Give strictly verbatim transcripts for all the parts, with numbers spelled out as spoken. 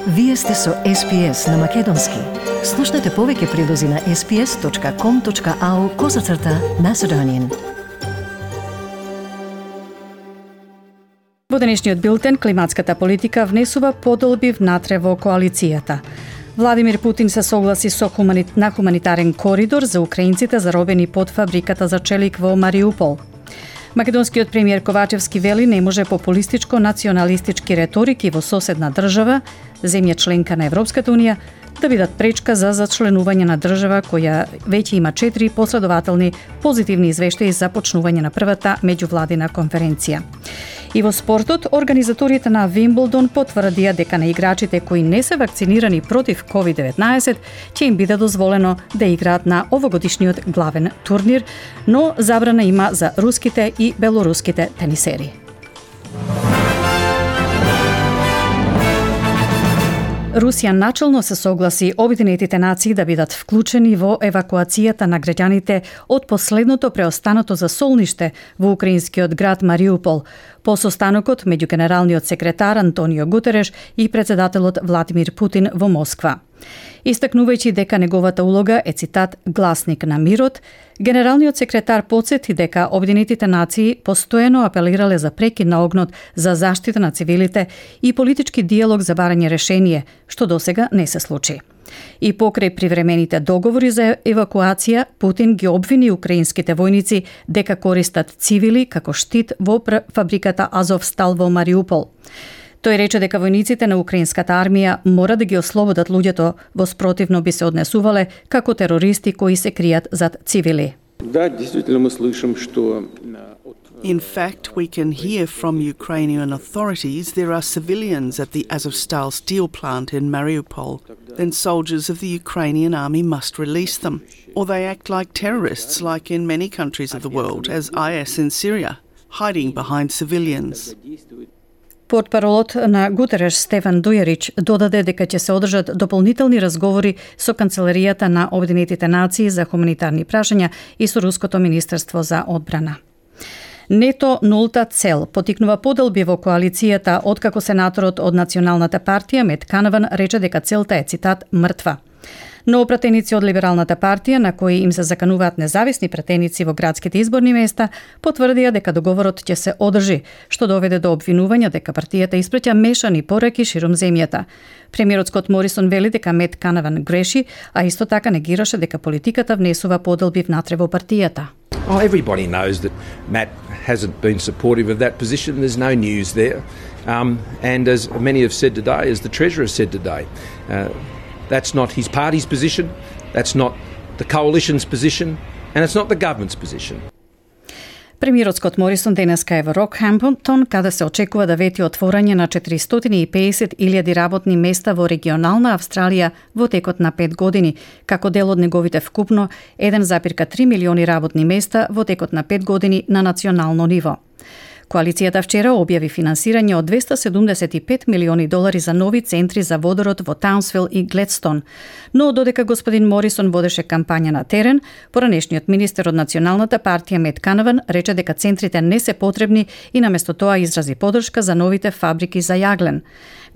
Вие сте со Ес Би Ес на Македонски. Слушнете повеќе прилози на ес би ес точка ком точка ау козацрта Macedonian. Во денешниот билтен, климатската политика внесува подолби внатре во коалицијата. Владимир Путин се согласи со хумани... на хуманитарен коридор за украинците заробени под фабриката за челик во Мариупол. Македонскиот премиер Ковачевски вели не може популистичко националистички реторики во соседна држава, земја членка на Европската унија, да бидат пречка за зачленување на држава која веќе има четири последователни позитивни извештаи за почнување на првата меѓувладина конференција. И во спортот, организаторите на Вимблдон потврдија дека на играчите кои не се вакцинирани против ковид деветнаесет ќе им биде дозволено да играат на овогодишниот главен турнир, но забрана има за руските и белоруските тенисери. Русија начелно се согласи Обединетите нации да бидат вклучени во евакуацијата на граѓаните од последното преостанато засолниште во украинскиот град Мариупол, по состанокот меѓу генералниот секретар Антонио Гутереш и председателот Владимир Путин во Москва. Истакнувајќи дека неговата улога е, цитат, гласник на мирот, генералниот секретар потсети дека Обединетите нации постојано апелирале за прекид на огнот, за заштита на цивилите и политички диалог за барање решение, што досега не се случи. И покрај привремените договори за евакуација, Путин ги обвини украинските војници дека користат цивили како штит во фабриката Азовстал во Мариупол. Тој рече дека војниците на украинската армија мора да ги ослободат луѓето, во спротивно би се однесувале како терористи кои се кријат зад цивили. Да, действително мы слышим, что In fact, we can hear from Ukrainian authorities there are civilians at the Azovstal steel plant in Mariupol. Then soldiers of the Ukrainian army must release them. Or they act like terrorists, like in many countries of the world, as I S in Syria, hiding behind civilians. Портпаролот на Гутереш Стефан Дујарич додаде дека ќе се одржат дополнителни разговори со Канцеларијата на Обединетите нации за хуманитарни прашања и со Руското министерство за одбрана. Нето нулта цел потикнува поделби во коалицијата откако сенаторот од Националната партија Мет Канаван рече дека целта е, цитат, мртва. Но пратеници од Либералната партија, на кои им се закануваат независни пратеници во градските изборни места, потврдија дека договорот ќе се одржи, што доведе до обвинувања дека партијата испраќа мешани пораки ширум земјата. Премиерот Скот Морисон вели дека Мет Канаван греши, а исто така негираше дека политиката внесува поделби внатре во партијата. Oh, everybody knows that Matt hasn't been supportive of that position. There's no news there. Um, and as many have said today, as the Treasurer said today, uh, that's not his party's position, that's not the coalition's position, and it's not the government's position. Премиерот Скот Морисон денеска е во Рокхемптон, каде се очекува да вети отворање на четиристотини и педесет илјади работни места во регионална Австралија во текот на пет години, како дел од неговите вкупно еден зарез три милиони работни места во текот на пет години на национално ниво. Коалицијата вчера објави финансирање од двесте седумдесет и пет милиони долари за нови центри за водород во Таунсвил и Гледстон. Но додека господин Морисон водеше кампања на терен, поранешниот министер од Националната партија Мет Канаван рече дека центрите не се потребни и наместо тоа изрази поддршка за новите фабрики за јаглен.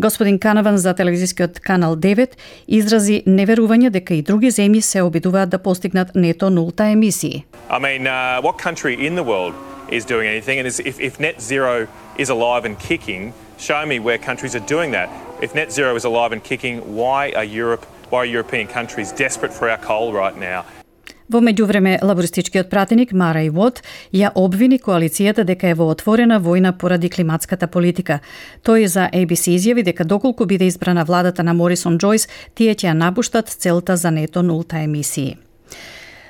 Господин Канаван за телевизискиот канал девет изрази неверување дека и други земји се обидуваат да постигнат нето нулта емисии. I mean, uh, what country in the world is doing anything? And if, if net zero is alive and kicking, show me where countries are doing that. If net zero is alive and kicking, why are Europe, why are European countries desperate for our coal right now? Во меѓувреме, лабористичкиот пратеник Марај Вот ја обвини коалицијата дека е во отворена војна поради климатската политика. Тој за Ей Би Си изјави дека доколку биде избрана владата на Морисон Џојс, тие ќе ја напуштат целта за нето нулта емисии.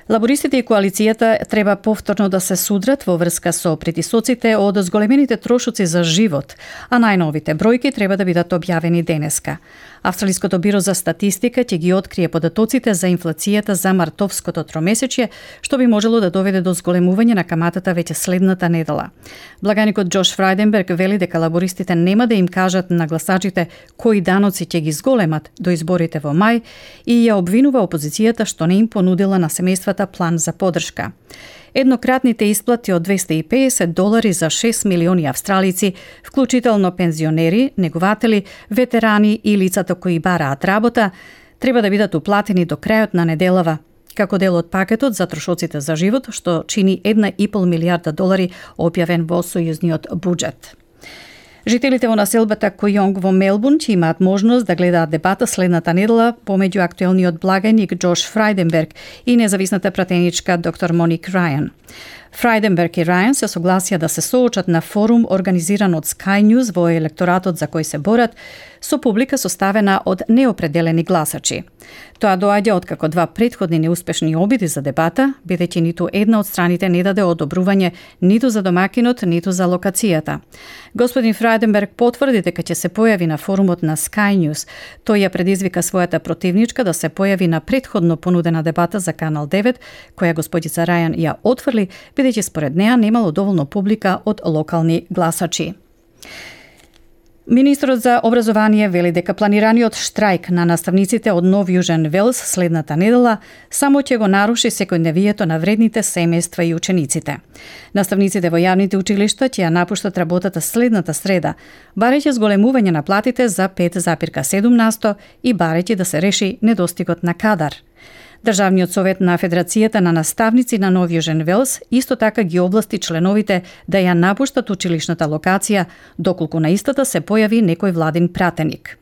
Лабористите и коалицијата треба повторно да се судрат во врска со притисоците од зголемените трошоци за живот, а најновите бројки треба да бидат објавени денеска. Австралиското биро за статистика ќе ги открие податоците за инфлацијата за мартовското тромесечје, што би можело да доведе до зголемување на каматата веќе следната недела. Благаникот Џош Фрајденберг вели дека лабористите нема да им кажат на гласачите кои даноци ќе ги зголемат до изборите во мај и ја обвинува опозицијата што не им понудила на семејствата неговата план за поддршка. Еднократните исплати од двесте и педесет долари за шест милиони австралици, вклучително пензионери, негователи, ветерани и лицата кои бараат работа, треба да бидат уплатени до крајот на неделава, како дел од пакетот за трошоците за живот, што чини една и пол милијарда долари објавен во сојузниот буџет. Жителите во населбата Којонг во Мелбурн ќе имаат можност да гледаат дебата следната недела помеѓу актуелниот благајник Џош Фрајденберг и независната пратеничка доктор Моник Рајан. Фрајденберг и Рајан се согласија да се соочат на форум организиран од Sky News во електоратот за кој се борат, со публика составена од неопределени гласачи. Тоа доаѓа откако два претходни неуспешни обиди за дебата, бидејќи ниту една од страните не даде одобрување ниту за домакинот, ниту за локацијата. Господин Фрајденберг потврди дека ќе се појави на форумот на Sky News. Тој ја предизвика својата противничка да се појави на претходно понудена дебата за Канал девет, која господица Рајан ја отфрли, бидејќи според неа немало доволно публика од локални гласачи. Министрот за образование вели дека планираниот штрајк на наставниците од Нов Јужен Велс следната недела само ќе го наруши секојдневието на вредните семејства и учениците. Наставниците во јавните училишта ќе ја напуштат работата следната среда, барејќи зголемување на платите за пет запирка седум насто и барејќи да се реши недостигот на кадар. Државниот совет на Федерацијата на наставници на Нов Јужен Велс исто така ги области членовите да ја напуштат училишната локација, доколку на истата се појави некој владин пратеник.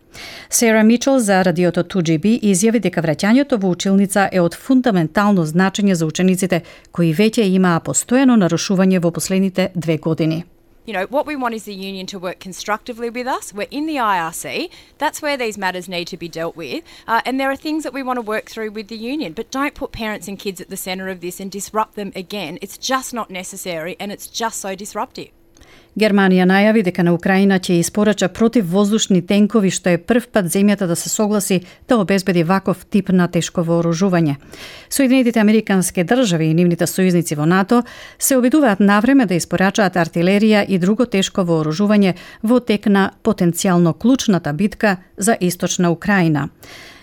Сера Мичел за радиото ту џи би изјави дека враќањето во училница е од фундаментално значење за учениците кои веќе имаа постојано нарушување во последните две години. You know, what we want is the union to work constructively with us. We're in the I R C. That's where these matters need to be dealt with. Uh, and there are things that we want to work through with the union. But don't put parents and kids at the centre of this and disrupt them again. It's just not necessary and it's just so disruptive. Германија најави дека на Украина ќе испорача противвоздушни тенкови, што е прв пат земјата да се согласи да обезбеди ваков тип на тешко вооружување. Соединетите американски држави и нивните сојузници во НАТО се обидуваат навреме да испорачаат артилерија и друго тешко вооружување во тек на потенцијално клучната битка за источна Украина.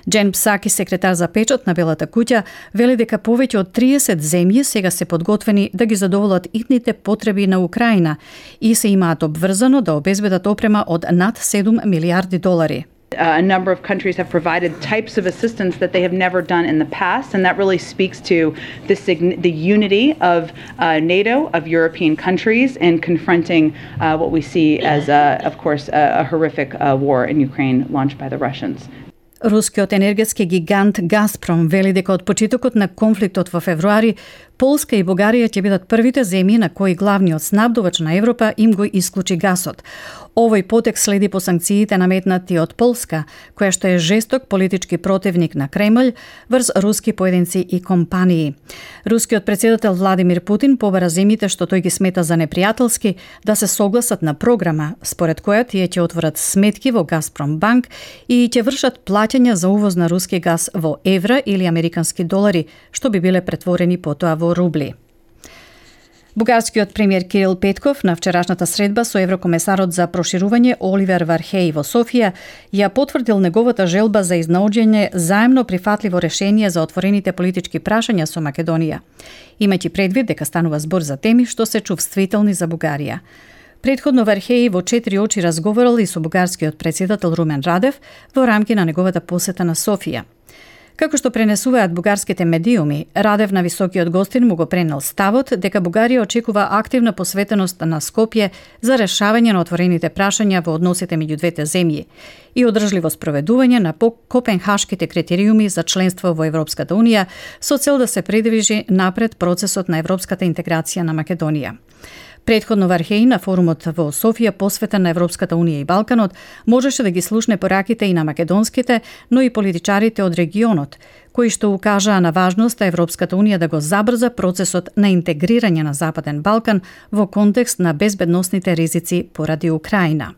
Джен Псаки, секретар за печат на Белата куќа, вели дека повеќе од триесет земји сега се подготвени да ги задоволат итните потреби на Украина и се имаат обврзано да обезбедат опрема од над седум милијарди долари. A number of countries have provided types of assistance that they have never done in the past, and that really speaks to the, the unity of uh, NATO, of European countries, in confronting uh, what we see as, uh, of course, a, a horrific uh, war in Ukraine launched by the Russians. Рускиот енергетски гигант Газпром вели дека од почетокот на конфликтот во февруари, Полска и Бугарија ќе бидат првите земји на кои главниот снабдувач на Европа им го исклучи гасот. Овој потек следи по санкциите наметнати од Полска, која што е жесток политички противник на Кремљ врз руски поединци и компании. Рускиот претседател Владимир Путин побара земјите што тој ги смета за непријателски да се согласат на програма според која тие ќе отворат сметки во Газпром банк и ќе вршат плаќања за увоз на руски газ во евра или американски долари, што би биле претворени потоа во рубли. Бугарскиот премиер Кирил Петков на вчерашната средба со еврокомесарот за проширување Оливер Вархеј во Софија ја потврдил неговата желба за изнаоѓање заемно прифатливо решение за отворените политички прашања со Македонија, имајќи предвид дека станува збор за теми што се чувствителни за Бугарија. Предходно Вархеј во четири очи разговарал и со бугарскиот претседател Румен Радев во рамки на неговата посета на Софија. Како што пренесуваат бугарските медиуми, Радев на високиот гостин му го пренел ставот дека Бугарија очекува активна посветеност на Скопје за решавање на отворените прашања во односите меѓу двете земји и одржливо спроведување на копенхашките критериуми за членство во Европската унија со цел да се придвижи напред процесот на европската интеграција на Македонија. Предходно Вархеј на форумот во Софија посветен на Европската унија и Балканот можеше да ги слушне пораките и на македонските, но и политичарите од регионот, кои што укажаа на важноста Европската унија да го забрза процесот на интегрирање на Западен Балкан во контекст на безбедносните ризици поради Украина.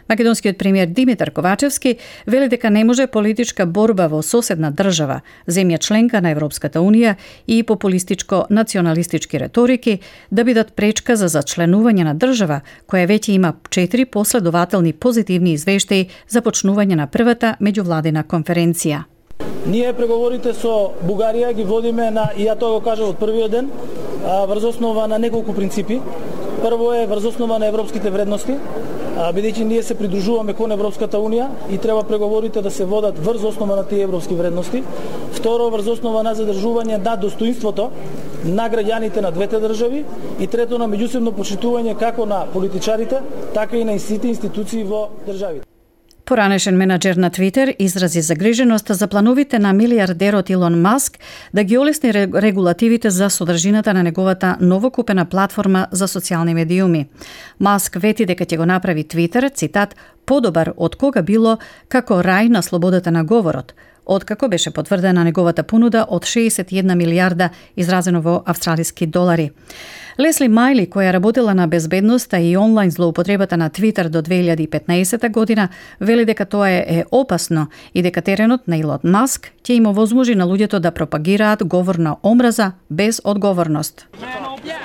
Македонскиот премиер Димитар Ковачевски вели дека не може политичка борба во соседна држава, земја членка на Европската унија и популистичко националистички реторики да бидат пречка за зачленување на држава која веќе има четири последователни позитивни извештаи за почнување на првата меѓувладина конференција. Ние преговорите со Бугарија ги водиме на, и ја тоа го кажав од првиот ден, врз основа на неколку принципи. Прво е врз основа на европските вредности, бидејќи ние се придружуваме кон Европската Унија и треба преговорите да се водат врз основа на тие европски вредности. Второ, врз основа на задржување на достоинството на граѓаните на двете држави и трето, на меѓусебно почитување како на политичарите, така и на сите институции во државите. Поранешен менаџер на Твитер изрази загриженост за плановите на милиардерот Илон Маск да ги олесни регулативите за содржината на неговата новокупена платформа за социјални медиуми. Маск вети дека ќе го направи Твитер, цитат, подобар од кога било како рај на слободата на говорот, откако беше потврдена неговата понуда од шеесет и една милијарда изразено во австралиски долари. Лесли Мајли, која работела на безбедноста и онлайн злоупотребата на Твитер до две илјади и петнаесета година, вели дека тоа е опасно и дека теренот на Илон Маск ќе им овозможи на луѓето да пропагираат говор на омраза без одговорност.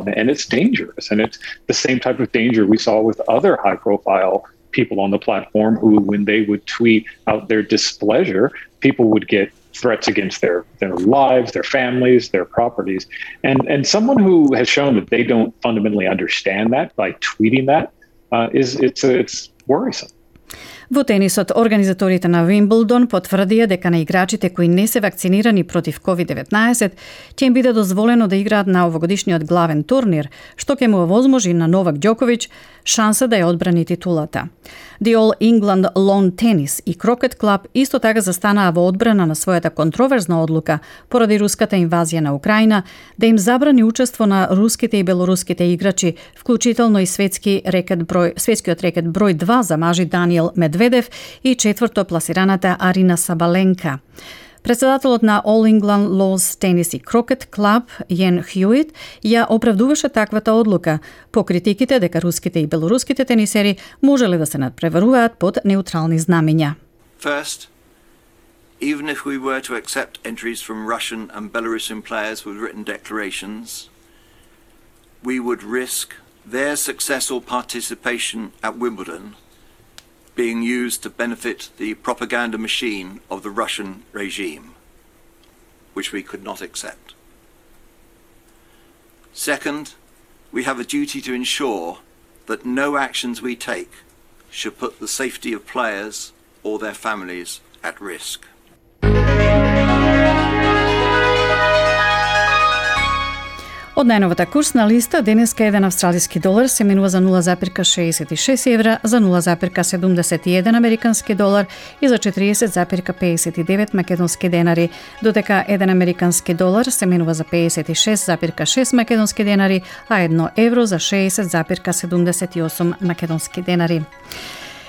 And it's dangerous, and it's the same type of danger we saw with other high-profile people on the platform who, when they would tweet out their displeasure, people would get threats against their, their lives, their families, their properties. And and someone who has shown that they don't fundamentally understand that by tweeting that uh, is it's it's worrisome. Во тенисот, организаторите на Вимблдон потврдија дека на играчите кои не се вакцинирани против ковид деветнаесет ќе им биде дозволено да играат на овогодишниот главен турнир, што ќе му овозможи на Новак Ѓоковиќ шанса да ја одбрани титулата. The All England Lawn Tennis и Крокет Клаб исто така застанаа во одбрана на својата контроверзна одлука поради руската инвазија на Украина да им забрани учество на руските и белоруските играчи, вклучително и светски рекет број, светскиот рекет број два за мажи Даниел Медведев и четврто пласираната Арина Сабаленка. Председателот на All England Lawn Tennis и Крокет Клаб Јен Хјуит ја оправдуваше таквата одлука по критиките дека руските и белоруските тенисери можеле да се надпреваруваат под неутрални знамиња. First, even if we were to accept entries from Russian and Belarusian players with written declarations, we would risk their successful participation at Wimbledon being used to benefit the propaganda machine of the Russian regime, which we could not accept. Second, we have a duty to ensure that no actions we take should put the safety of players or their families at risk. Од најновата курсна листа, денеска еден австралиски долар се менува за нула запирка шеесет и шест евра, за нула запирка седумдесет и еден американски долар и за четириесет запирка пеесет и девет македонски денари, додека еден американски долар се менува за пеесет и шест запирка шест македонски денари, а едно евро за шеесет запирка седумдесет и осум македонски денари.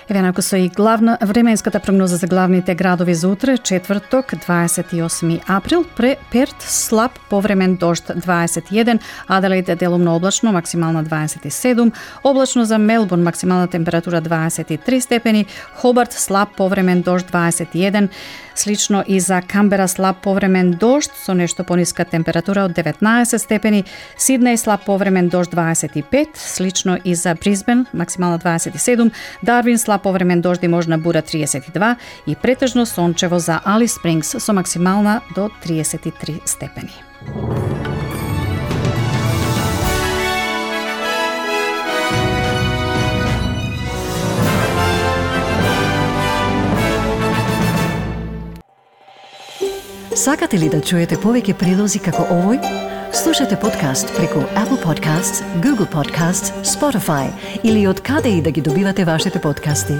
Еве нако со и главна временската прогноза за главните градови за утре, четврток, дваесет и осми април, пре Перт слаб повремен дожд дваесет и еден, Аделаид делумно облачно, максимална дваесет и седум, облачно за Мелбурн, максимална температура дваесет и три степени, Хобарт слаб повремен дожд дваесет и еден, слично и за Камбера слаб повремен дожд со нешто пониска температура од деветнаесет степени, Сиднеј слаб повремен дожд дваесет и пет, слично и за Брисбен, максимална дваесет и седум, Дарвин слаб повремен дожд и можна бура триесет и два и претежно сончево за Алис Спрингс со максимална до триесет и три степени. Сакате ли да чуете повеќе прилози како овој? Слушате подкаст преку Apple Podcasts, Google Podcasts, Spotify или од каде и да ги добивате вашите подкасти.